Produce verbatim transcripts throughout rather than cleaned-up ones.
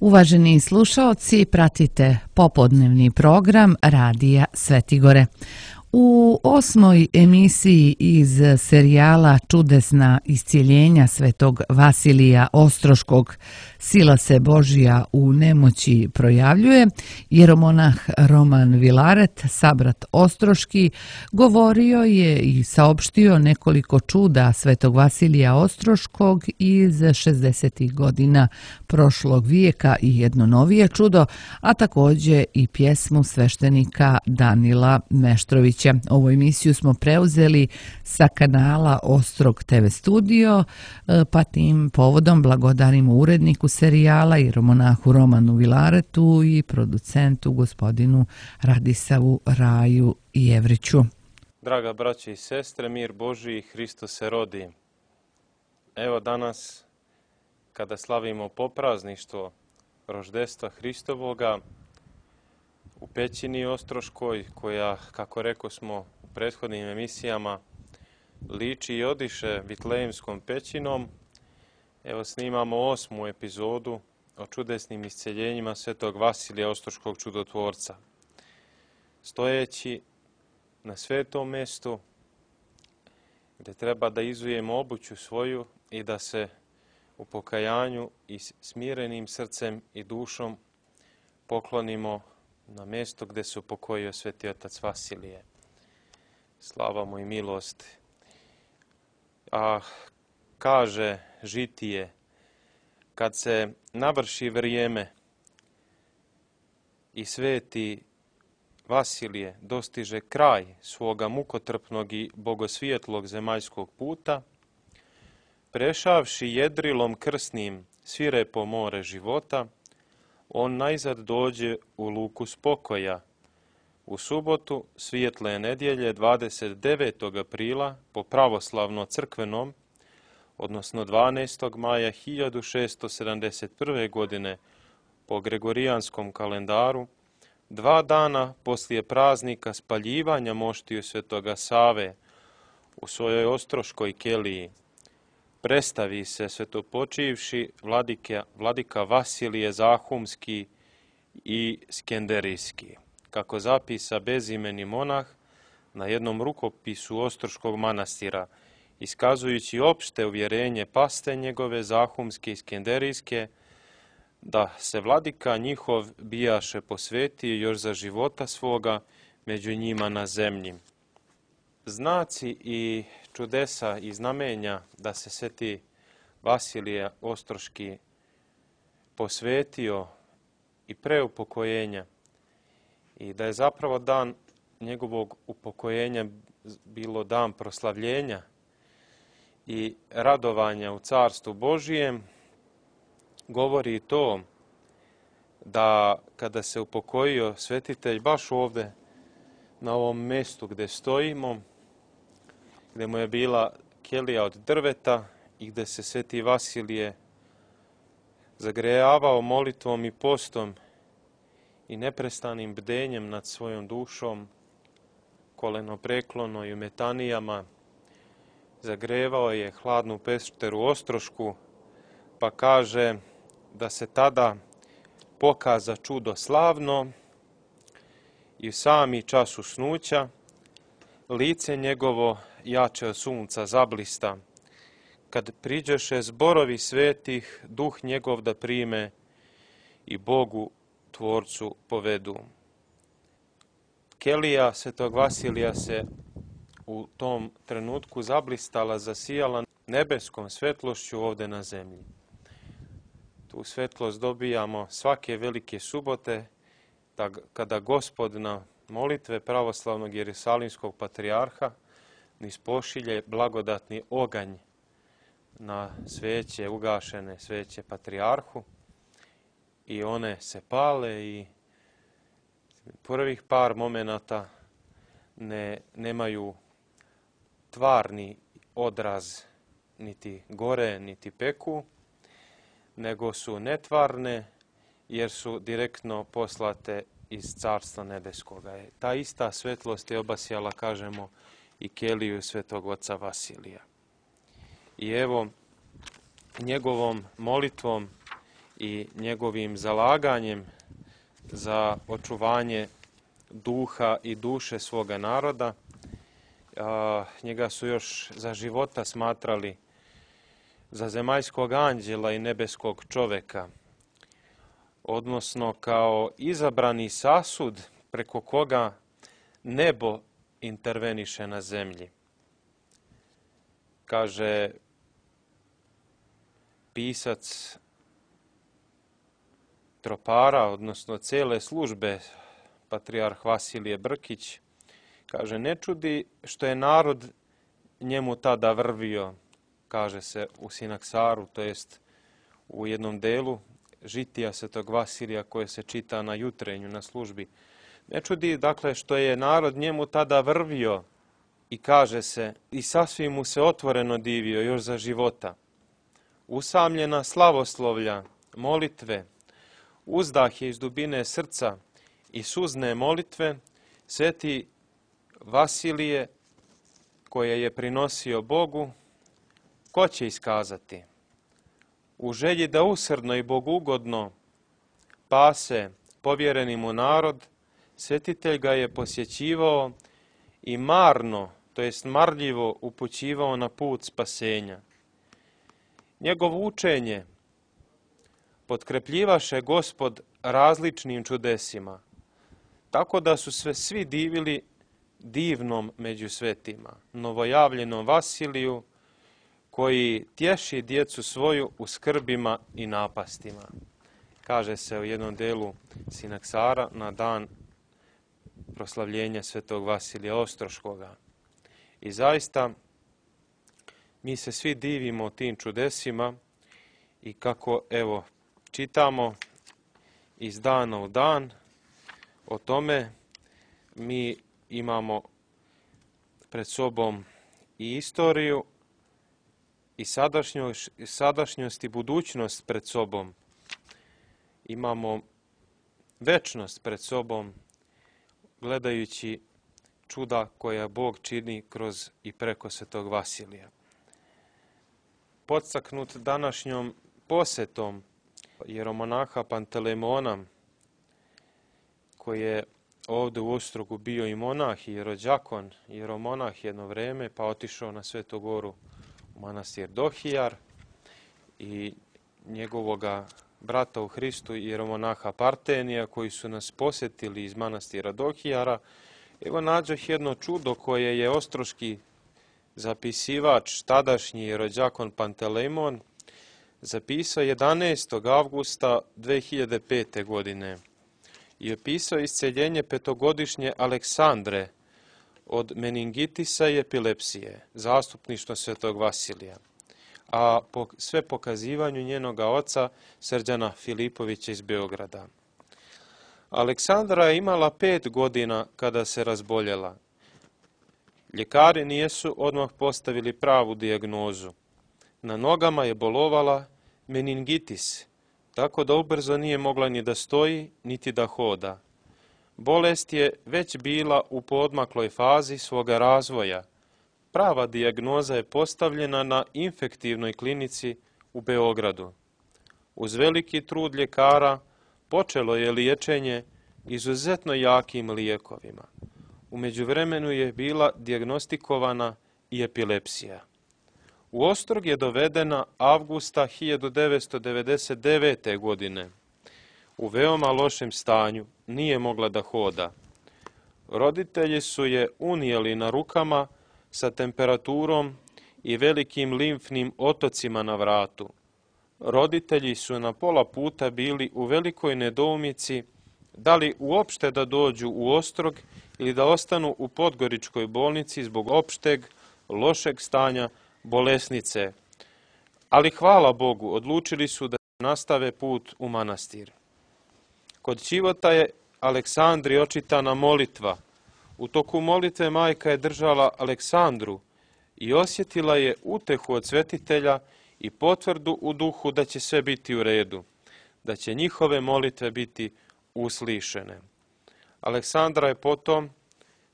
Uvaženi slušaoci, pratite popodnevni program Radija Svetigore. U osmoj emisiji iz serijala Čudesna iscijeljenja svetog Vasilija Ostroškog Sila se Božja u nemoći projavljuje, jeromonah Roman Vilaret, sabrat Ostroški, govorio je i saopštio nekoliko čuda svetog Vasilija Ostroškog iz šezdesetih godina prošlog vijeka i jedno novije čudo, a također i pjesmu sveštenika Danila Meštrovića. Ovu emisiju smo preuzeli sa kanala Ostrog te ve studio, pa tim povodom blagodarimo uredniku serijala i jeromonahu Romanu Vilaretu i producentu gospodinu Radisavu Raju Jevriću. Draga braće i sestre, mir Božiji, Hristos se rodi. Evo danas, kada slavimo poprazništvo roždestva Hristovoga, u pećini Ostroškoj, koja, kako reko smo u prethodnim emisijama, liči i odiše Vitlejemskom pećinom, evo snimamo osmu epizodu o čudesnim isceljenjima svetog Vasilija Ostroškog čudotvorca. Stojeći na svetom mjestu, gdje treba da izujemo obuću svoju i da se u pokajanju i smirenim srcem i dušom poklonimo na mjesto gdje se upokojio sveti otac Vasilije. Slava mu i milost. A kaže žitije, kad se navrši vrijeme i sveti Vasilije dostiže kraj svoga mukotrpnog i bogosvijetlog zemaljskog puta, prešavši jedrilom krsnim svirepo more života, on najzad dođe u luku spokoja. U subotu svijetle nedjelje dvadeset devetog aprila po pravoslavno crkvenom, odnosno dvanaestog maja hiljadu šeststo sedamdeset prve. godine po gregorijanskom kalendaru, dva dana poslije praznika spaljivanja moštiju svetoga Save u svojoj ostroškoj keliji, predstavi se svetopočivši vladika, vladika Vasilije Zahumski i Skenderijski, kako zapisa bezimeni monah na jednom rukopisu Ostroškog manastira, iskazujući opšte uvjerenje paste njegove Zahumske i Skenderijske, da se vladika njihov bijaše posvetio još za života svoga među njima na zemlji. Znaci i čudesa i znamenja da se sveti Vasilije Ostroški posvetio i pre upokojenja i da je zapravo dan njegovog upokojenja bilo dan proslavljenja i radovanja u Carstvu Božijem, govori to da kada se upokojio svetitelj baš ovdje na ovom mjestu gdje stojimo, gdje mu je bila kelija od drveta i gdje se sveti Vasilije zagrejavao molitvom i postom i neprestanim bdenjem nad svojom dušom, kolenopreklono i u metanijama, zagrevao je hladnu pešteru Ostrošku, pa kaže da se tada pokaza čudo slavno i u sami čas usnuća lice njegovo jače od sunca zablista, kad priđeše zborovi svetih, duh njegov da prime i Bogu Tvorcu povedu. Kelija svetog Vasilija se u tom trenutku zablistala, zasijala nebeskom svetlošću ovdje na zemlji. Tu svetlost dobijamo svake velike subote, da kada Gospod na molitve pravoslavnog jerusalimskog patrijarha niz pošilje blagodatni oganj na sveće, ugašene sveće patrijarhu, i one se pale i prvih par momenata ne, nemaju tvarni odraz, niti gore, niti peku, nego su netvarne jer su direktno poslate iz Carstva nebeskoga. Ta ista svetlost je obasjala, kažemo, i keliju svetog oca Vasilija. I evo, njegovom molitvom i njegovim zalaganjem za očuvanje duha i duše svoga naroda. Njega su još za života smatrali za zemaljskog anđela i nebeskog čoveka, odnosno kao izabrani sasud preko koga nebo interveniše na zemlji. Kaže pisac tropara, odnosno cele službe, patrijarh Vasilije Brkić, kaže, ne čudi što je narod njemu tada vrvio, kaže se u Sinaksaru, to jest u jednom delu žitija Svetog Vasilija koje se čita na jutrenju, na službi. Ne čudi, dakle, što je narod njemu tada vrvio i kaže se, i sasvim mu se otvoreno divio još za života. Usamljena slavoslovlja, molitve, uzdah je iz dubine srca i suzne molitve, sveti Vasilije koje je prinosio Bogu, ko će iskazati? U želji da usrdno i bogugodno pase povjereni mu narod, svetitelj ga je posjećivao i marno, to jest marljivo upućivao na put spasenja. Njegovo učenje potkrepljivaše Gospod različnim čudesima, tako da su se svi divili divnom među svetima, novojavljenom Vasiliju, koji tješi djecu svoju u skrbima i napastima. Kaže se u jednom delu Sinaksara na dan proslavljenja svetog Vasilija Ostroškoga. I zaista mi se svi divimo tim čudesima i kako, evo, čitamo iz dana u dan o tome, mi imamo pred sobom i istoriju i sadašnjost, sadašnjost i budućnost pred sobom. Imamo večnost pred sobom, gledajući čuda koja Bog čini kroz i preko svetog Vasilija. Podstaknut današnjom posjetom jeromonaha Pantelemona, koji je ovdje u Ostrogu bio i monah i jerođakon, jeromonah jedno vrijeme, pa otišao na Svetu Goru u manastir Dohijar, i njegovoga brata u Hristu, jeromonaha Partenija, koji su nas posjetili iz manastira Dohijara. Evo nađoh jedno čudo koje je ostroški zapisivač, tadašnji jerođakon Pantelemon, zapisao jedanaestog avgusta dve hiljade pete. godine i opisao isceljenje petogodišnje Aleksandre od meningitisa i epilepsije, zastupništvo svetog Vasilija, a po sve pokazivanju njenoga oca Srđana Filipovića iz Beograda. Aleksandra je imala pet godina kada se razboljela. Ljekari nijesu odmah postavili pravu dijagnozu. Na nogama je bolovala meningitis, tako da ubrzo nije mogla ni da stoji, niti da hoda. Bolest je već bila u poodmakloj fazi svoga razvoja. Prava dijagnoza je postavljena na infektivnoj klinici u Beogradu. Uz veliki trud ljekara počelo je liječenje izuzetno jakim lijekovima. U međuvremenu je bila dijagnostikovana i epilepsija. U Ostrog je dovedena avgusta hiljadu devetsto devedeset devete. godine. U veoma lošem stanju, nije mogla da hoda. Roditelji su je unijeli na rukama sa temperaturom i velikim limfnim otocima na vratu. Roditelji su na pola puta bili u velikoj nedoumici da li uopšte da dođu u Ostrog ili da ostanu u Podgoričkoj bolnici zbog opšteg, lošeg stanja bolesnice. Ali hvala Bogu, odlučili su da nastave put u manastir. Kod Ćivota je Aleksandri očitana molitva. U toku molitve majka je držala Aleksandru i osjetila je utehu od svetitelja i potvrdu u duhu da će sve biti u redu, da će njihove molitve biti uslišene. Aleksandra je potom,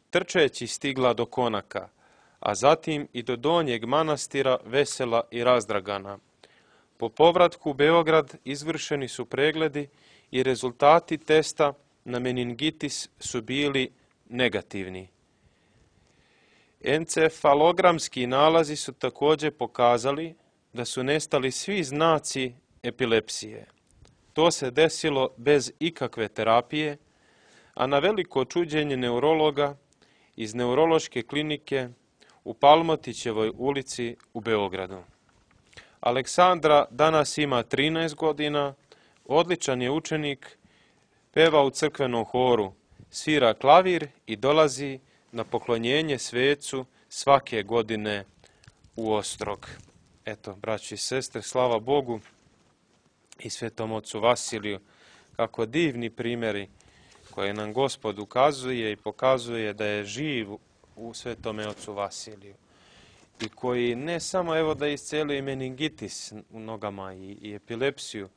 trčeći, stigla do konaka, a zatim i do donjeg manastira vesela i razdragana. Po povratku u Beograd izvršeni su pregledi i rezultati testa na meningitis su bili negativni. Encefalogramski nalazi su također pokazali da su nestali svi znaci epilepsije. To se desilo bez ikakve terapije, a na veliko čuđenje neurologa iz neurološke klinike u Palmotićevoj ulici u Beogradu. Aleksandra danas ima trinaest godina, odličan je učenik, peva u crkvenom horu, svira klavir i dolazi na poklonjenje svecu svake godine u Ostrog. Eto, braći i sestre, slava Bogu i svetom ocu Vasiliju, kako divni primjeri koje nam Gospod ukazuje i pokazuje da je živ u svetome ocu Vasiliju. I koji ne samo evo da isceluje meningitis u nogama i, i epilepsiju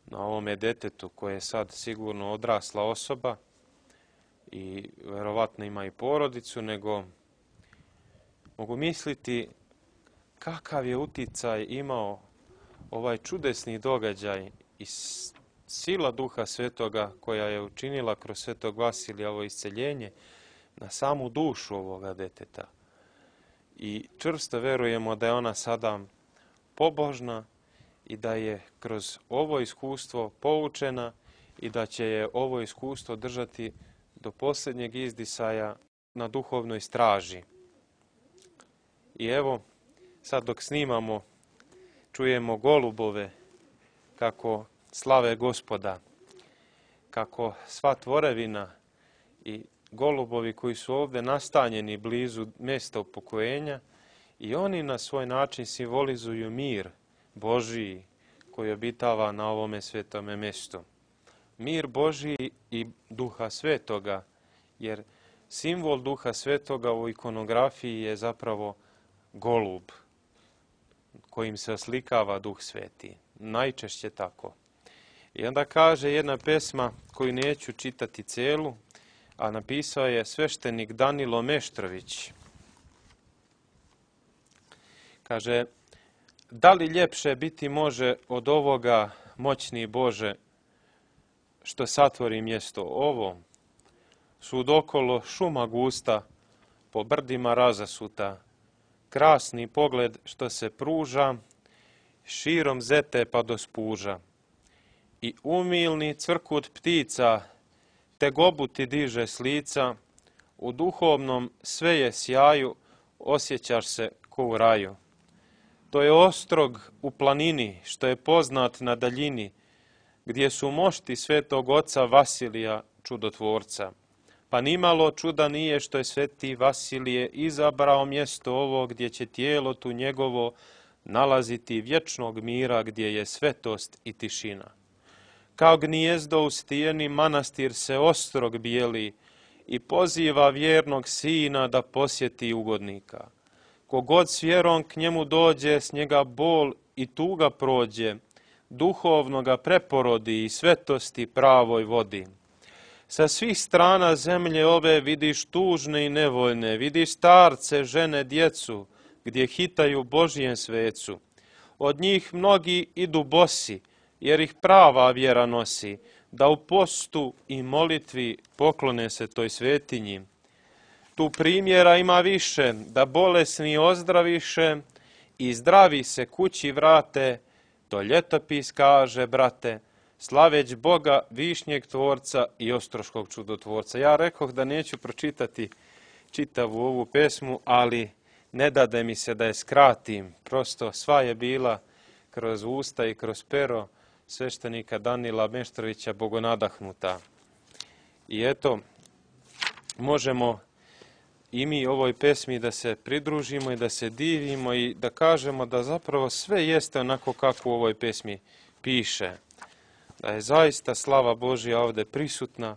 na ovome detetu koje je sad sigurno odrasla osoba i verovatno ima i porodicu, nego mogu misliti kakav je uticaj imao ovaj čudesni događaj i sila Duha Svetoga koja je učinila kroz svetog Vasilija ovo isceljenje na samu dušu ovoga deteta. I čvrsto verujemo da je ona sada pobožna i da je kroz ovo iskustvo poučena i da će je ovo iskustvo držati do posljednjeg izdisaja na duhovnoj straži. I evo, sad dok snimamo, čujemo golubove kako slave Gospoda, kako sva tvorevina i golubovi koji su ovdje nastanjeni blizu mjesta upokojenja i oni na svoj način simbolizuju mir Božiji koji obitava na ovome svetome mjestu. Mir Božiji i Duha Svetoga, jer simbol Duha Svetoga u ikonografiji je zapravo golub kojim se oslikava Duh Sveti. Najčešće tako. I onda kaže jedna pesma koju neću čitati celu, a napisao je sveštenik Danilo Meštrović. Kaže, da li ljepše biti može od ovoga, moćni Bože, što satvori mjesto ovo? Svud okolo šuma gusta, po brdima razasuta, krasni pogled što se pruža, širom zete pa do spuža. I umilni cvrkut ptica, te gobuti diže s lica, u duhovnom sve je sjaju, osjećaš se ko u raju. To je Ostrog u planini, što je poznat na daljini, gdje su mošti svetog oca Vasilija, čudotvorca. Pa nimalo čuda nije što je sveti Vasilije izabrao mjesto ovo gdje će tijelo tu njegovo nalaziti vječnog mira gdje je svetost i tišina. Kao gnijezdo u stijeni manastir se Ostrog bijeli i poziva vjernog sina da posjeti ugodnika. Kogod s vjerom k njemu dođe, s njega bol i tuga prođe, duhovno ga preporodi i svetosti pravoj vodi. Sa svih strana zemlje ove vidiš tužne i nevoljne, vidiš starce, žene, djecu, gdje hitaju Božijem svecu. Od njih mnogi idu bosi, jer ih prava vjera nosi, da u postu i molitvi poklone se toj svetinji. Tu primjera ima više, da bolesni ozdraviše i zdravi se kući vrate, to ljetopis kaže, brate, slaveć Boga, višnjeg tvorca i ostroškog čudotvorca. Ja rekoh da neću pročitati čitavu ovu pesmu, ali ne dade mi se da je skratim. Prosto sva je bila kroz usta i kroz pero sveštenika Danila Meštrovića bogonadahnuta. I eto, možemo i mi ovoj pesmi da se pridružimo i da se divimo i da kažemo da zapravo sve jeste onako kako u ovoj pesmi piše. Da je zaista slava Božja ovdje prisutna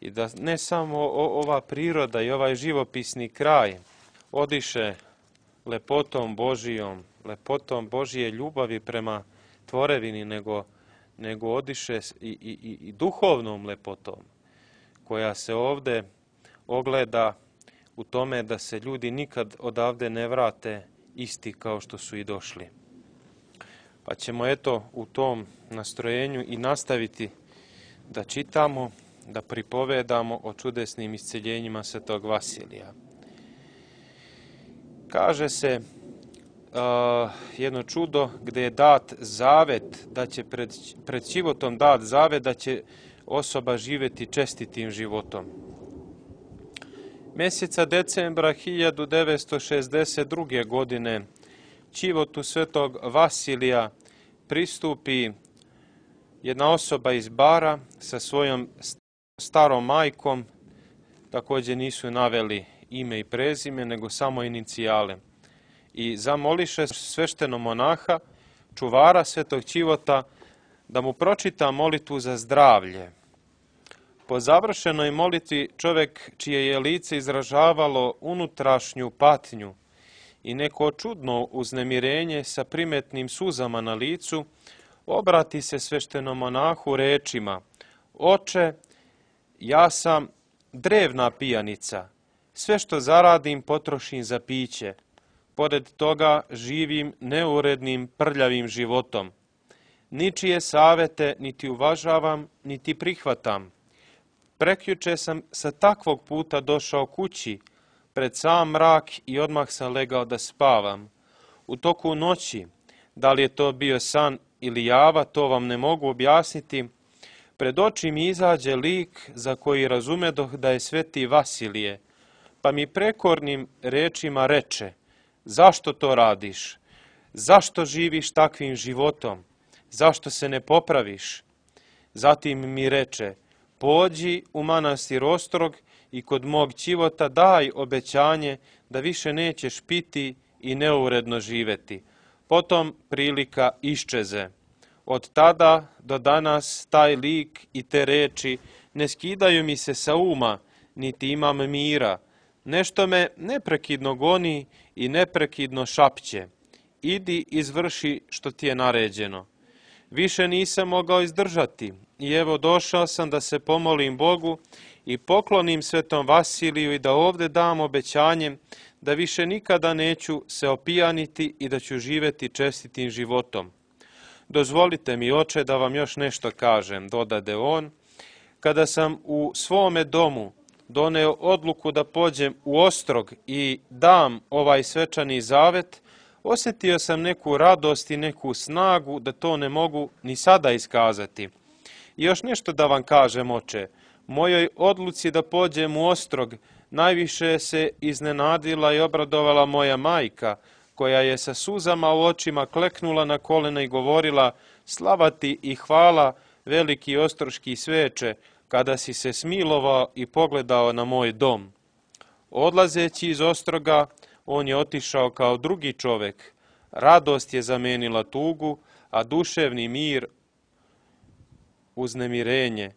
i da ne samo ova priroda i ovaj živopisni kraj odiše lepotom Božijom, lepotom Božije ljubavi prema tvorevini, nego, nego odiše i, i, i duhovnom lepotom koja se ovdje ogleda u tome da se ljudi nikad odavde ne vrate isti kao što su i došli. Pa ćemo eto u tom nastrojenju i nastaviti da čitamo, da pripovedamo o čudesnim isceljenjima svetog Vasilija. Kaže se uh, jedno čudo gdje je dat zavet, da će pred, pred životom dat zavet da će osoba živjeti čestitim životom. Mjeseca decembra hiljadu devetsto šezdeset druge. godine ćivotu svetog Vasilija pristupi jedna osoba iz Bara sa svojom starom majkom, također nisu naveli ime i prezime, nego samo inicijale. I zamoliše sveštenog monaha, čuvara svetog ćivota, da mu pročita molitvu za zdravlje. Po završenoj molitvi čovjek čije je lice izražavalo unutrašnju patnju i neko čudno uznemirenje sa primetnim suzama na licu, obrati se sveštenom monahu rečima: Oče, ja sam drevna pijanica, sve što zaradim potrošim za piće. Pored toga živim neurednim, prljavim životom. Ničije savete niti uvažavam, niti prihvatam. Prekjuče sam sa takvog puta došao kući, pred sam mrak i odmah sam legao da spavam. U toku noći, da li je to bio san ili java, to vam ne mogu objasniti, pred oči mi izađe lik za koji razumedoh da je sveti Vasilije, pa mi prekornim rečima reče: zašto to radiš? Zašto živiš takvim životom? Zašto se ne popraviš? Zatim mi reče: pođi u manastir Ostrog i kod mog ćivota daj obećanje da više nećeš piti i neuredno živeti. Potom prilika iščeze. Od tada do danas taj lik i te reči ne skidaju mi se sa uma, niti imam mira. Nešto me neprekidno goni i neprekidno šapće: idi izvrši što ti je naređeno. Više nisam mogao izdržati i evo došao sam da se pomolim Bogu i poklonim svetom Vasiliju i da ovdje dam obećanje da više nikada neću se opijaniti i da ću živjeti čestitim životom. Dozvolite mi, oče, da vam još nešto kažem, dodade on. Kada sam u svome domu doneo odluku da pođem u Ostrog i dam ovaj svečani zavet, osjetio sam neku radost i neku snagu da to ne mogu ni sada iskazati. I još nešto da vam kažem, oče. Mojoj odluci da pođem u Ostrog najviše se iznenadila i obradovala moja majka, koja je sa suzama u očima kleknula na kolena i govorila: slava ti i hvala, veliki ostroški sveče, kada si se smilovao i pogledao na moj dom. Odlazeći iz Ostroga, on je otišao kao drugi čovjek. Radost je zamenila tugu, a duševni mir uznemirenje.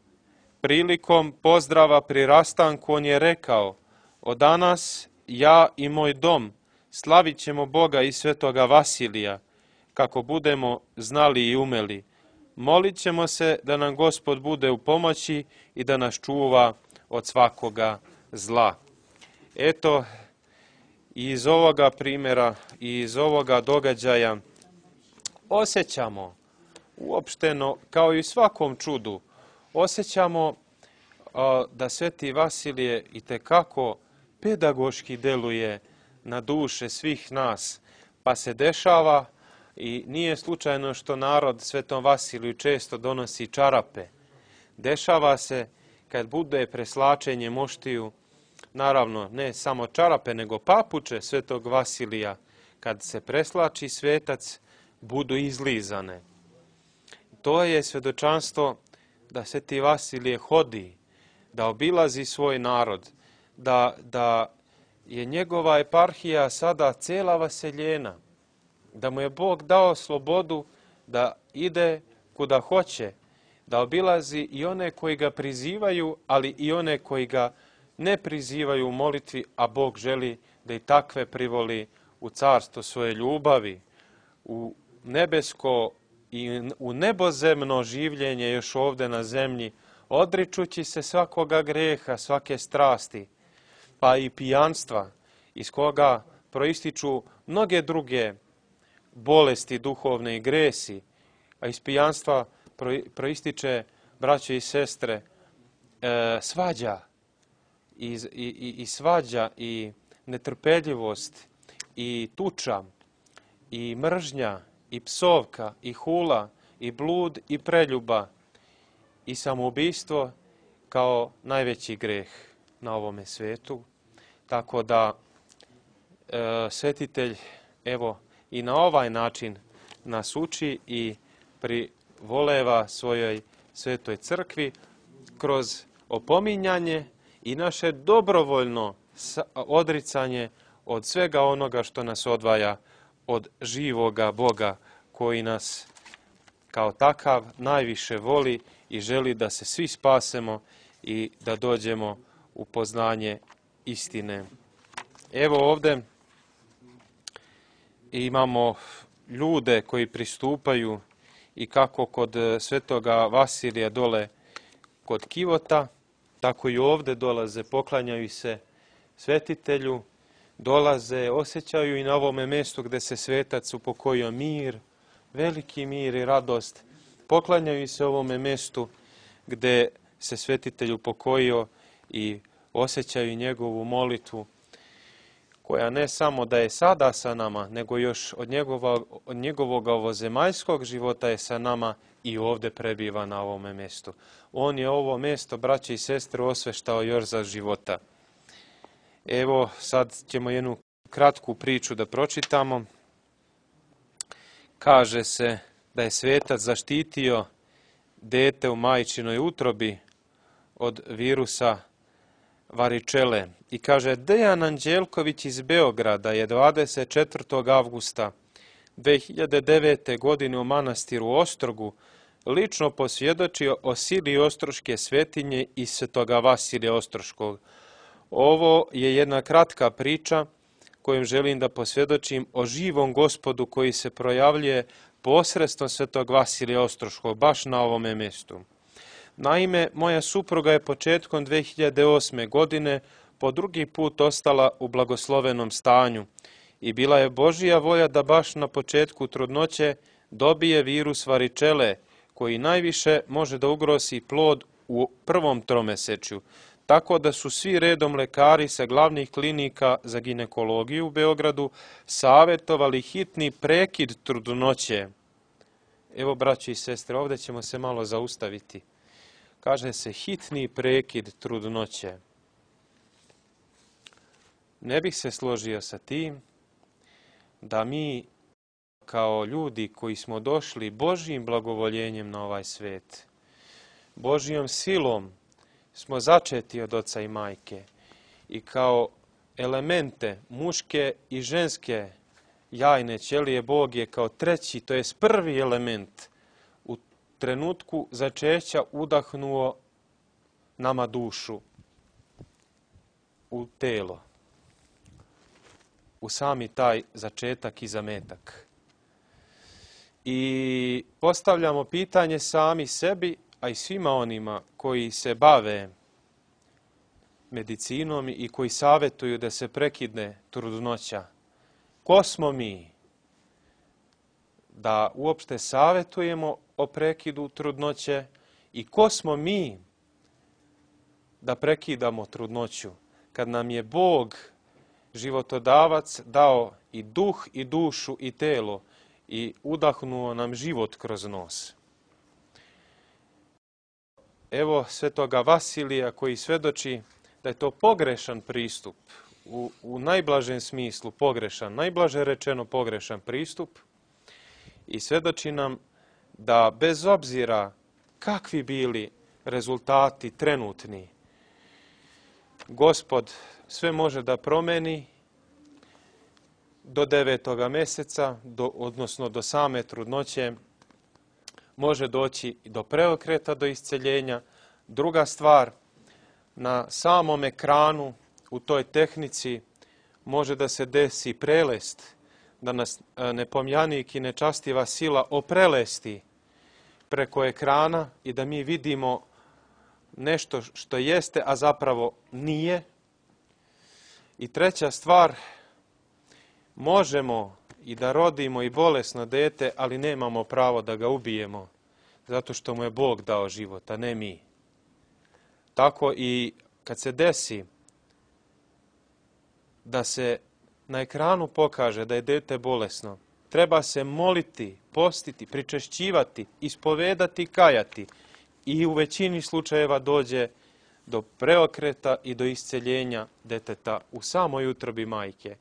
Prilikom pozdrava pri rastanku on je rekao: od danas ja i moj dom slavit ćemo Boga i svetoga Vasilija, kako budemo znali i umeli. Molit ćemo se da nam Gospod bude u pomoći i da nas čuva od svakoga zla. Eto, i iz ovoga primjera i iz ovoga događaja osjećamo uopšteno, kao i u svakom čudu, osjećamo a, da sveti Vasilije itekako pedagoški deluje na duše svih nas, pa se dešava i nije slučajno što narod svetom Vasiliju često donosi čarape. Dešava se kad bude preslačenje moštiju, naravno ne samo čarape, nego papuče svetog Vasilija, kad se preslači svetac, budu izlizane. To je svedočanstvo da sveti Vasilije hodi, da obilazi svoj narod, da, da je njegova eparhija sada cela vaseljena, da mu je Bog dao slobodu da ide kuda hoće, da obilazi i one koji ga prizivaju, ali i one koji ga ne prizivaju u molitvi, a Bog želi da i takve privoli u carstvo svoje ljubavi, u nebesko i u nebozemno življenje još ovdje na zemlji, odričući se svakoga greha, svake strasti, pa i pijanstva, iz koga proističu mnoge druge bolesti duhovne i gresi, a iz pijanstva proističe, braće i sestre, e, svađa i, i, i svađa i netrpeljivost i tuča i mržnja i psovka i hula i blud i preljuba i samoubistvo kao najveći greh na ovome svetu. Tako da e, svetitelj evo i na ovaj način nas uči i privoleva svojoj svetoj crkvi kroz opominjanje i naše dobrovoljno odricanje od svega onoga što nas odvaja od živoga Boga koji nas kao takav najviše voli i želi da se svi spasemo i da dođemo u poznanje istine. Evo ovdje imamo ljude koji pristupaju i kako kod svetoga Vasilija dole kod Kivota, tako i ovdje dolaze, poklanjaju se svetitelju, dolaze, osjećaju i na ovome mjestu gdje se svetac upokojio mir, veliki mir i radost, poklanjaju se ovome mjestu gdje se svetitelj upokojio i osjećaju njegovu molitvu, koja ne samo da je sada sa nama, nego još od, njegova, od njegovog ovozemaljskog života je sa nama i ovdje prebiva na ovome mjestu. On je ovo mjesto, braće i sestre, osveštao još za života. Evo, sad ćemo jednu kratku priču da pročitamo. Kaže se da je svetac zaštitio dete u majčinoj utrobi od virusa varičele. I kaže, Dejan Anđelković iz Beograda je dvadeset četvrtog avgusta dve hiljade devete. godine u manastiru Ostrogu lično posvjedočio o sili ostroške svetinje i svetoga Vasilija Ostroškog. Ovo je jedna kratka priča kojom želim da posvjedočim o živom Gospodu koji se projavljuje posredstvom svetog Vasilija Ostroškog, baš na ovome mjestu. Naime, moja supruga je početkom dve hiljade osme. godine po drugi put ostala u blagoslovenom stanju i bila je Božija volja da baš na početku trudnoće dobije virus varičele, koji najviše može da ugrozi plod u prvom tromesečju, tako da su svi redom lekari sa glavnih klinika za ginekologiju u Beogradu savjetovali hitni prekid trudnoće. Evo, braći i sestre, ovdje ćemo se malo zaustaviti. Kaže se hitni prekid trudnoće. Ne bih se složio sa tim da mi kao ljudi koji smo došli Božjim blagovoljenjem na ovaj svet, Božjom silom smo začeti od oca i majke i kao elemente muške i ženske jajne ćelije Bog je kao treći, to jest prvi element u trenutku začeća udahnuo nama dušu u telo, u sami taj začetak i zametak. I postavljamo pitanje sami sebi, a i svima onima koji se bave medicinom i koji savjetuju da se prekidne trudnoća. Ko smo mi da uopšte savjetujemo o prekidu trudnoće i ko smo mi da prekidamo trudnoću kad nam je Bog životodavac dao i duh i dušu i telo i udahnuo nam život kroz nos. Evo svetoga Vasilija koji svedoči da je to pogrešan pristup, u, u najblažem smislu pogrešan, najblaže rečeno pogrešan pristup i svedoči nam da bez obzira kakvi bili rezultati trenutni, Gospod sve može da promeni do devetoga mjeseca, do, odnosno do same trudnoće, može doći do preokreta, do isceljenja. Druga stvar, na samom ekranu, u toj tehnici, može da se desi prelest, da nas nepomjanik i nečastiva sila oprelesti preko ekrana i da mi vidimo nešto što jeste, a zapravo nije. I treća stvar, možemo i da rodimo i bolesno dete, ali nemamo pravo da ga ubijemo, zato što mu je Bog dao život, a ne mi. Tako i kad se desi da se na ekranu pokaže da je dete bolesno, treba se moliti, postiti, pričešćivati, ispovedati, kajati i u većini slučajeva dođe do preokreta i do isceljenja deteta u samoj utrobi majke.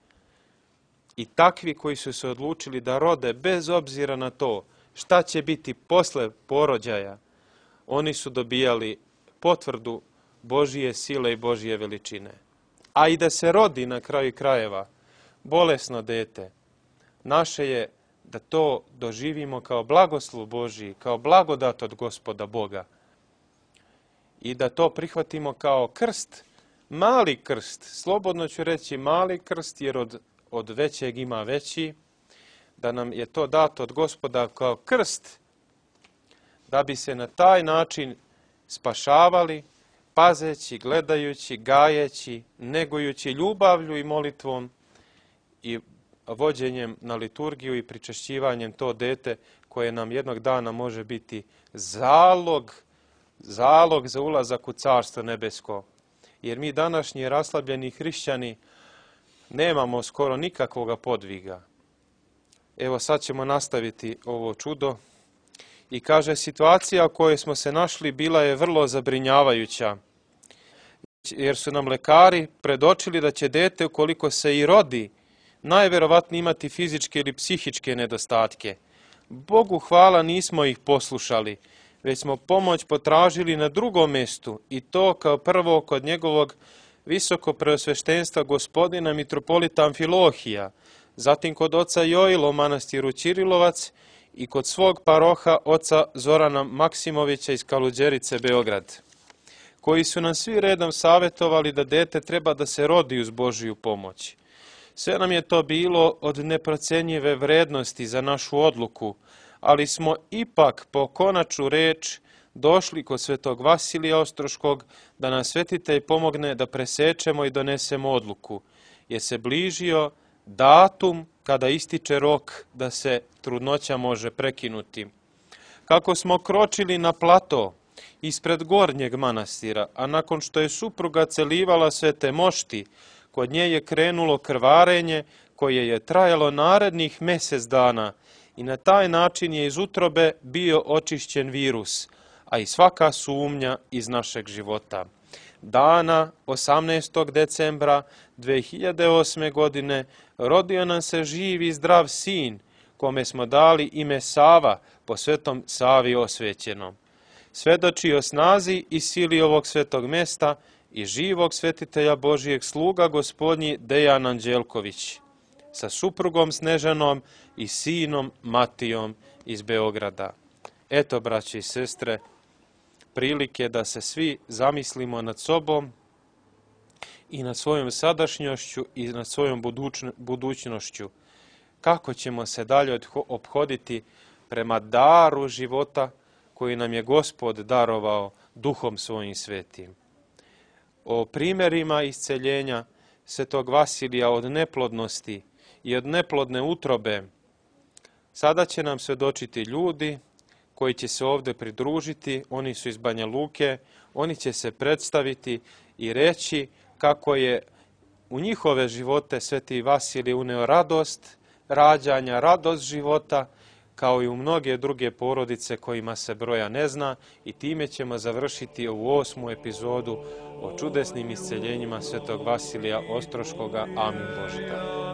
I takvi koji su se odlučili da rode bez obzira na to šta će biti posle porođaja, oni su dobijali potvrdu Božije sile i Božije veličine. A i da se rodi na kraju krajeva bolesno dete, naše je da to doživimo kao blagoslov Božiji, kao blagodat od Gospoda Boga. I da to prihvatimo kao krst, mali krst, slobodno ću reći mali krst, jer od, od većeg ima veći, da nam je to dato od Gospoda kao krst, da bi se na taj način spašavali, pazeći, gledajući, gajeći, negujući ljubavlju i molitvom i vođenjem na liturgiju i pričešćivanjem to dete koje nam jednog dana može biti zalog, zalog za ulazak u Carstvo nebesko. Jer mi današnji raslabljeni hrišćani nemamo skoro nikakvoga podviga. Evo sad ćemo nastaviti ovo čudo. I kaže, situacija u kojoj smo se našli bila je vrlo zabrinjavajuća, jer su nam lekari predočili da će dete, ukoliko se i rodi, najverovatnije imati fizičke ili psihičke nedostatke. Bogu hvala, nismo ih poslušali, već smo pomoć potražili na drugom mjestu, i to kao prvo kod njegovog visoko preosveštenstva gospodina mitropolita Amfilohija, zatim kod oca Joila u manastiru Ćirilovac i kod svog paroha oca Zorana Maksimovića iz Kaluđerice, Beograd, koji su nam svi redom savjetovali da dete treba da se rodi uz Božiju pomoć. Sve nam je to bilo od neprocenjive vrednosti za našu odluku, ali smo ipak po konačnu reč došli kod svetog Vasilija Ostroškog da nas svetitelj pomogne da presečemo i donesemo odluku, jer se bližio datum kada ističe rok da se trudnoća može prekinuti. Kako smo kročili na plato ispred gornjeg manastira, a nakon što je supruga celivala svete mošti, kod nje je krenulo krvarenje koje je trajalo narednih mjesec dana i na taj način je iz utrobe bio očišćen virus, a i svaka sumnja iz našeg života. Dana osamnaestog decembra dve hiljade osme. godine rodio nam se živ i zdrav sin, kome smo dali ime Sava, po svetom Savi osvećenom. Svedoči o snazi i sili ovog svetog mesta i živog svetitelja Božijeg sluga gospodnji Dejan Anđelković, sa suprugom Snežanom i sinom Matijom iz Beograda. Eto, braće i sestre, prilike da se svi zamislimo nad sobom i nad svojom sadašnjošću i nad svojom budućnošću. Kako ćemo se dalje ophoditi prema daru života koji nam je Gospod darovao duhom svojim svetim. O primjerima isceljenja svetog Vasilija od neplodnosti i od neplodne utrobe sada će nam svedočiti ljudi koji će se ovdje pridružiti. Oni su iz Banja Luke, oni će se predstaviti i reći kako je u njihove živote sveti Vasilij uneo radost rađanja, radost života, kao i u mnoge druge porodice kojima se broja ne zna, i time ćemo završiti ovu osmu epizodu o čudesnim isceljenjima svetog Vasilija Ostroškoga. Amin Bože daj.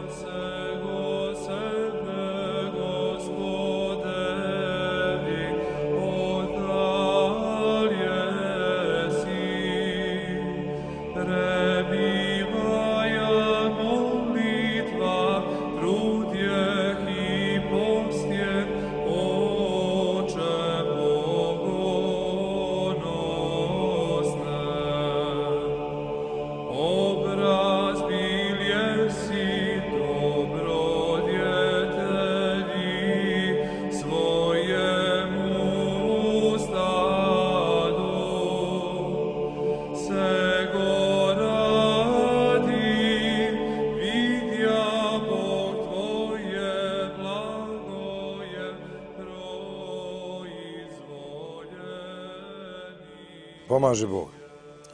Pomaže Bog.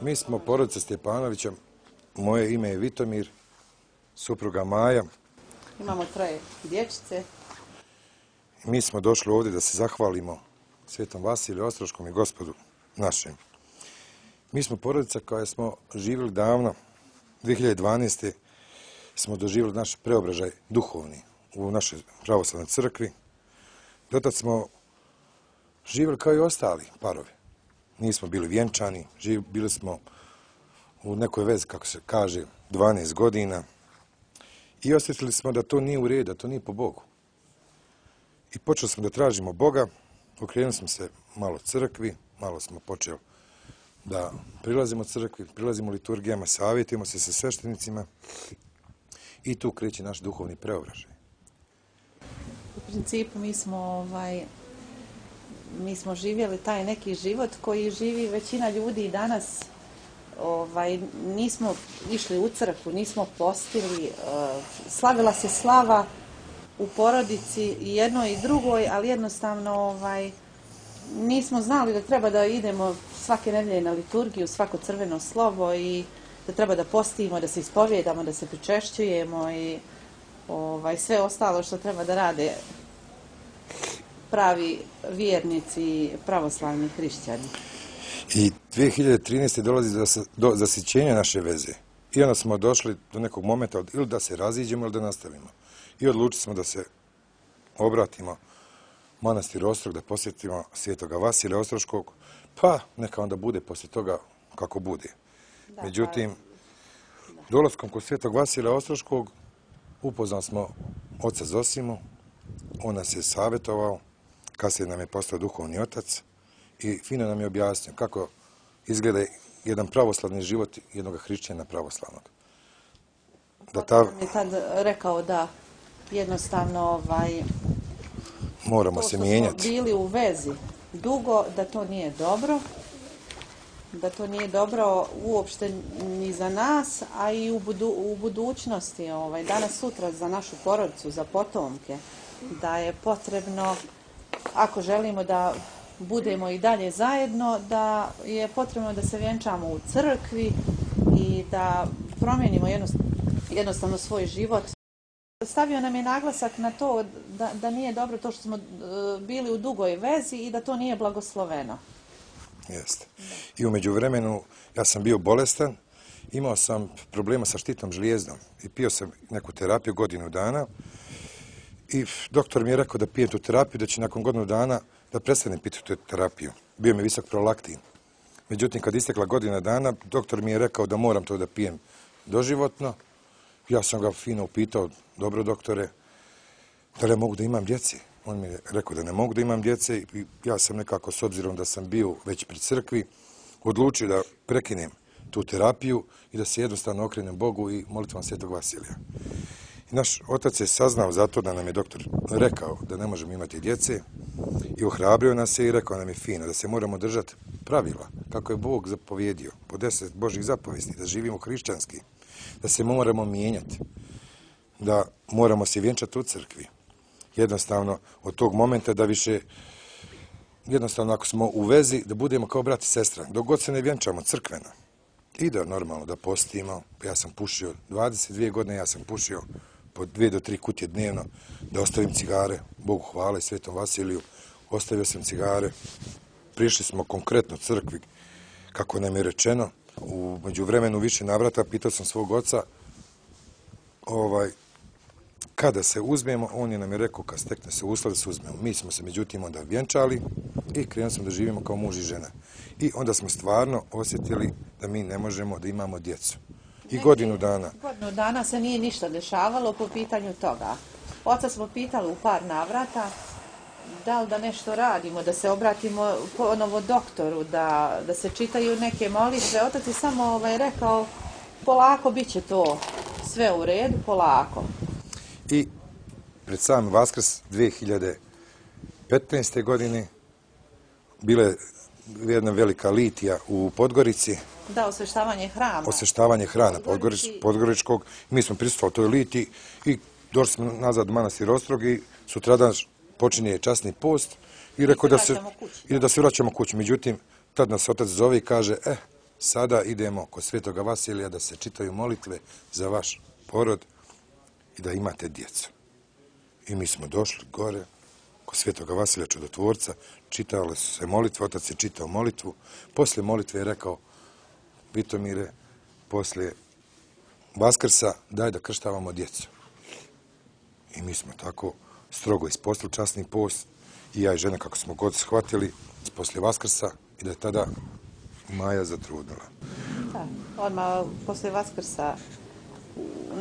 Mi smo porodica Stjepanovića, moje ime je Vitomir, supruga Maja. Imamo troje dječice. Mi smo došli ovdje da se zahvalimo Svetom Vasiliju Ostroškom i Gospodu našem. Mi smo porodica koja smo živjeli davno, dvije hiljade dvanaeste. smo doživjeli naš preobražaj duhovni u našoj pravoslavnoj crkvi. Dotad smo živjeli kao i ostali parovi. Nismo bili vjenčani, živ, bili smo u nekoj vezi, kako se kaže, dvanaest godina. I osjetili smo da to nije u redu, da to nije po Bogu. I počeli smo da tražimo Boga, okrenuli smo se malo crkvi, malo smo počeli da prilazimo crkvi, prilazimo liturgijama, savjetujemo se sa sveštenicima i tu kreće naš duhovni preobražaj. U principu mi smo, ovaj, mi smo živjeli taj neki život koji živi većina ljudi i danas. Ovaj, nismo išli u crkvu, nismo postili, slavila se slava u porodici i jednoj i drugoj, ali jednostavno ovaj, nismo znali da treba da idemo svake nedelje na liturgiju, svako crveno slovo i da treba da postimo, da se ispovjedamo, da se pričešćujemo i ovaj, sve ostalo što treba da rade pravi vjernici, pravoslavni hrišćani. I dvije hiljade trinaeste. dolazi do, do zasićenja naše veze. I onda smo došli do nekog momenta ili da se raziđemo ili da nastavimo. I odlučili smo da se obratimo manastir Ostrog, da posjetimo Svetoga Vasilija Ostroškog, pa neka onda bude poslije toga kako bude. Da, Međutim, da. dolaskom kod Svetog Vasilija Ostroškog upoznali smo oca Zosimu, on nas je savjetovao, kasnije nam je postao duhovni otac i fino nam je objasnio kako izgleda jedan pravoslavni život jednog hrišćana pravoslavnog. Da ta... On je tad rekao da jednostavno ovaj, moramo se mijenjati. To smo bili u vezi dugo, da to nije dobro, da to nije dobro uopšte ni za nas, a i u, budu, u budućnosti, ovaj, danas sutra za našu porodicu, za potomke, da je potrebno, ako želimo da budemo i dalje zajedno, da je potrebno da se vjenčamo u crkvi i da promijenimo jednostavno svoj život. Stavio nam je naglasak na to da, da nije dobro to što smo bili u dugoj vezi i da to nije blagosloveno. Jeste. I u međuvremenu ja sam bio bolestan, imao sam problema sa štitnom žlijezdom i pio sam neku terapiju godinu dana i doktor mi je rekao da pijem tu terapiju, da će nakon godinu dana da prestanem piti tu terapiju. Bio mi visok prolaktin. Međutim, kad istekla godina dana, doktor mi je rekao da moram to da pijem doživotno. Ja sam ga fino upitao, dobro doktore, da li ja mogu da imam djece? On mi je rekao da ne mogu da imam djece i ja sam nekako, s obzirom da sam bio već pri crkvi, odlučio da prekinem tu terapiju i da se jednostavno okrenem Bogu i molitvom Svetog Vasilija. I naš otac je saznao zato da nam je doktor rekao da ne možemo imati djece i ohrabrio nas je i rekao nam je fino da se moramo držati pravila kako je Bog zapovjedio po deset Božih zapovesti, da živimo hrišćanski, da se moramo mijenjati, da moramo se vjenčati u crkvi. Jednostavno od tog momenta da više, jednostavno ako smo u vezi, da budemo kao brat i sestra, dok god se ne vjenčamo crkveno. I da normalno da postimo, ja sam pušio dvadeset dvije godine, ja sam pušio po dvije do tri kutije dnevno, da ostavim cigare, Bogu hvala i Svetom Vasiliju, ostavio sam cigare, prišli smo konkretno crkvi, kako nam je rečeno, u međuvremenu više navrata, pitao sam svog oca, ovaj, kada se uzmemo, on je nam je rekao kad stekne se uslov da se uzmemo. Mi smo se međutim onda vjenčali i krenuli smo da živimo kao muž i žena. I onda smo stvarno osjetili da mi ne možemo da imamo djecu. I godinu dana. Godinu dana se nije ništa dešavalo po pitanju toga. Oca smo pitali u par navrata da li da nešto radimo, da se obratimo ponovo doktoru, da, da se čitaju neke molitve. Otac je samo ovaj, rekao polako bit će to sve u redu, polako. I pred sam Vaskrs dvije hiljade petnaeste. godine bila je jedna velika litija u Podgorici. Da, osveštavanje hrama. Osveštavanje hrana Podgorič, Podgoričkog. Mi smo prisustvovali toj litiji i došli smo nazad u manastir Ostrog i sutradan počinje časni post i rekao da se, i da se vraćamo kući. Međutim, tad nas otac zove i kaže, eh, sada idemo kod Svetoga Vasilija da se čitaju molitve za vaš porod i da imate djecu. I mi smo došli gore kod Svetoga Vasilija Čudotvorca, čitale su se molitve, otac je čitao molitvu, poslije molitve je rekao, Vitomire, poslije Vaskrsa daj da krštavamo djecu. I mi smo tako strogo ispostili časni post i ja i žena kako smo god shvatili poslije Vaskrsa i da je tada Maja zatrudnila. Da, odmah poslije Vaskrsa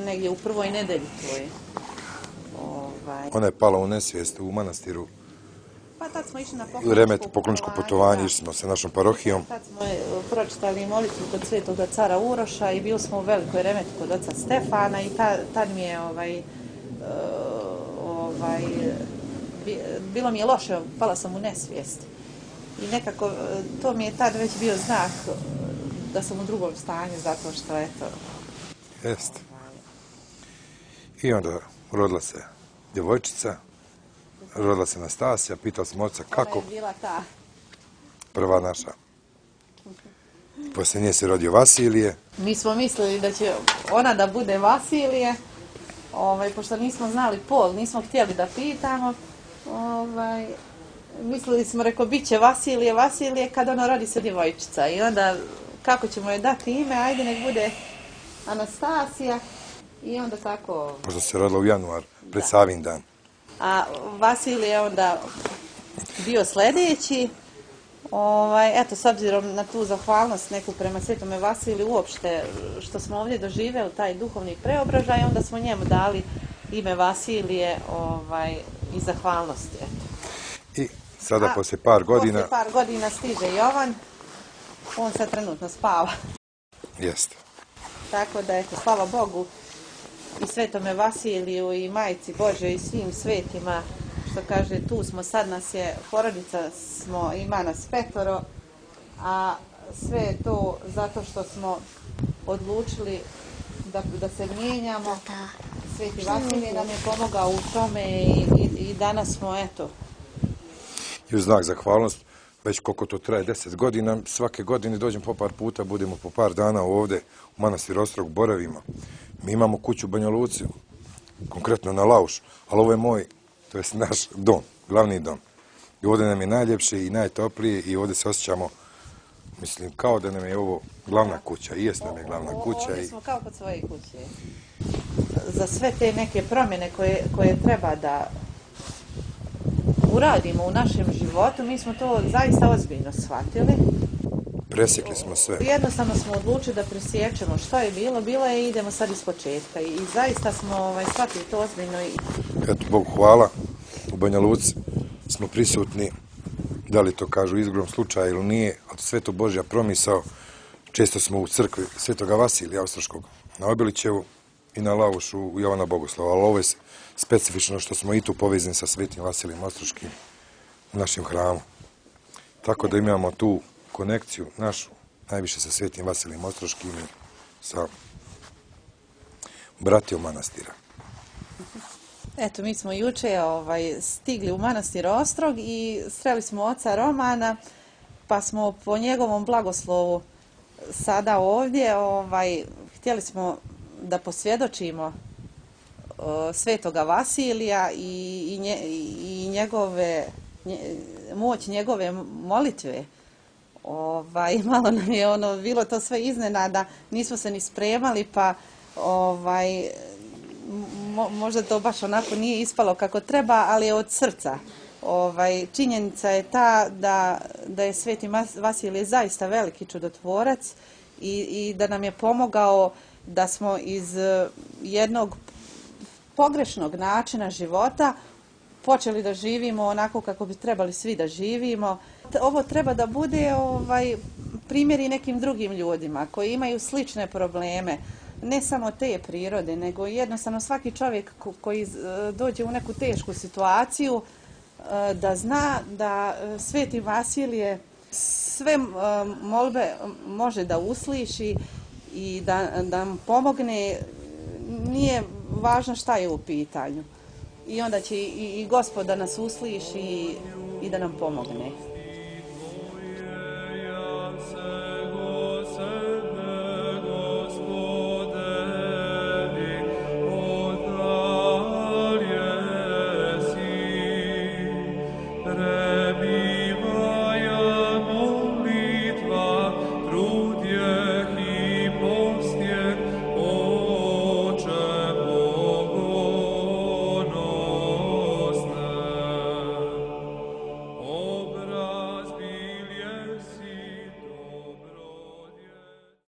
negdje u prvoj nedelji tvoj. Ovaj... Ona je pala u nesvijest u manastiru. Pa tad smo išli na U remet, pokloničko putovanje, išli smo sa našom parohijom. Tad smo pročitali molitvu kod Svetoga cara Uroša i bili smo u velikoj remetu kod oca Stefana i ta, tad mi je ovaj, ovaj, bilo mi je loše, pala sam u nesvijest. I nekako to mi je tad već bio znak da sam u drugom stanju, zato što eto... Jeste. I onda rodila se djevojčica, rodila se Nastasija, pitao sam oca kako... Ona je bila ta. Prva naša. Poslije nje se rodio Vasilije. Mi smo mislili da će ona da bude Vasilije, ovaj, pošto nismo znali pol, nismo htjeli da pitamo. Ovaj, mislili smo, rekao, bit će Vasilije, Vasilije, kad ona rodi se djevojčica. I onda, kako ćemo joj dati ime, ajde nek bude Anastasija. I onda tako... Pošto se rodila u januar, pred da. Savin dan. A Vasilije je onda bio sljedeći. Ovaj, eto, s obzirom na tu zahvalnost neku prema Svetome Vasiliju uopšte, što smo ovdje doživjeli taj duhovni preobražaj, onda smo njemu dali ime Vasilije ovaj, i zahvalnosti. Eto. I sada, A, poslije par godina... Poslije par godina stiže Jovan, on sad trenutno spava. Jeste. Tako da, eto, slava Bogu i Svetome Vasiliju i Majci Božoj i svim svetima, što kaže, tu smo, sad nas je, porodica smo, ima nas petoro, a sve je to zato što smo odlučili da, da se mijenjamo. Sveti Vasilij nam je pomogao u tome i, i, i danas smo, eto. I u znak zahvalnost, već koliko to traje, deset godina, svake godine dođem po par puta, budemo po par dana ovdje u Manastir Ostrog, boravimo. Mi imamo kuću u Banja Luci, konkretno na Lauš, ali ovo je moj, to je naš dom, glavni dom. I ovdje nam je najljepše i najtoplije i ovdje se osjećamo, mislim, kao da nam je ovo glavna kuća. I jest nam je glavna kuća. Ovdje smo kao kod svoje kuće. Za sve te neke promjene koje, koje treba da uradimo u našem životu, mi smo to zaista ozbiljno shvatili. Presjekli smo sve. Jednostavno smo odlučili da presjećemo što je bilo, bilo je i idemo sad iz početka. I, i zaista smo ovaj, shvatili to ozbiljno. I... Eto, Bogu hvala, u Banja Luci smo prisutni, da li to kažu izgrom slučaja ili nije, ali sve to Božja promisao. Često smo u crkvi Svetoga Vasilija Ostroškog na Obilićevu i na Laušu u Jovana Bogoslava, ali ovo je specifično što smo i tu povezani sa Svetim Vasilijem Ostroškim u našem hramu. Tako da imamo tu konekciju našu, najviše sa Svetim Vasilijem Ostroškim i sa bratijom manastira. Eto, mi smo juče ovaj, stigli u Manastir Ostrog i sreli smo oca Romana, pa smo po njegovom blagoslovu sada ovdje, ovaj, htjeli smo da posvjedočimo uh, Svetoga Vasilija i, i, nje, i njegove, nje, moć njegove molitve. Ovaj, malo nam je ono, bilo to sve iznenada, nismo se ni spremali, pa ovaj, mo, možda to baš onako nije ispalo kako treba, ali je od srca. Ovaj, činjenica je ta da, da je Sveti Vasilije zaista veliki čudotvorac i, i da nam je pomogao da smo iz jednog pogrešnog načina života počeli da živimo onako kako bi trebali svi da živimo. Ovo treba da bude ovaj, primjer i nekim drugim ljudima koji imaju slične probleme, ne samo te prirode, nego jednostavno svaki čovjek koji dođe u neku tešku situaciju da zna da Sveti Vasilije sve molbe može da usliši i da nam pomogne, nije važno šta je u pitanju. I onda će i, i Gospod da nas usliši i, i da nam pomogne.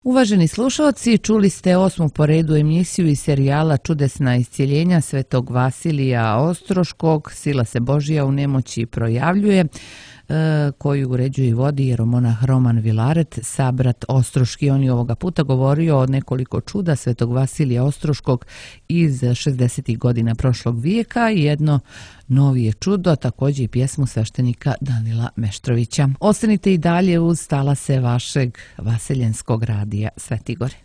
Uvaženi slušalci, čuli ste osmu po redu emisiju iz serijala Čudesna iscijeljenja svetog Vasilija Ostroškog, Sila se Božja u nemoći projavljuje, koju uređuje i vodi jeromonah Roman Vilaret, sabrat Ostroški. On je ovoga puta govorio o nekoliko čuda svetog Vasilija Ostroškog iz šezdesetih godina prošlog vijeka i jedno novije čudo, također i pjesmu sveštenika Danila Meštrovića. Ostanite i dalje uz talase vašeg vaseljenskog radija Sveti Gore.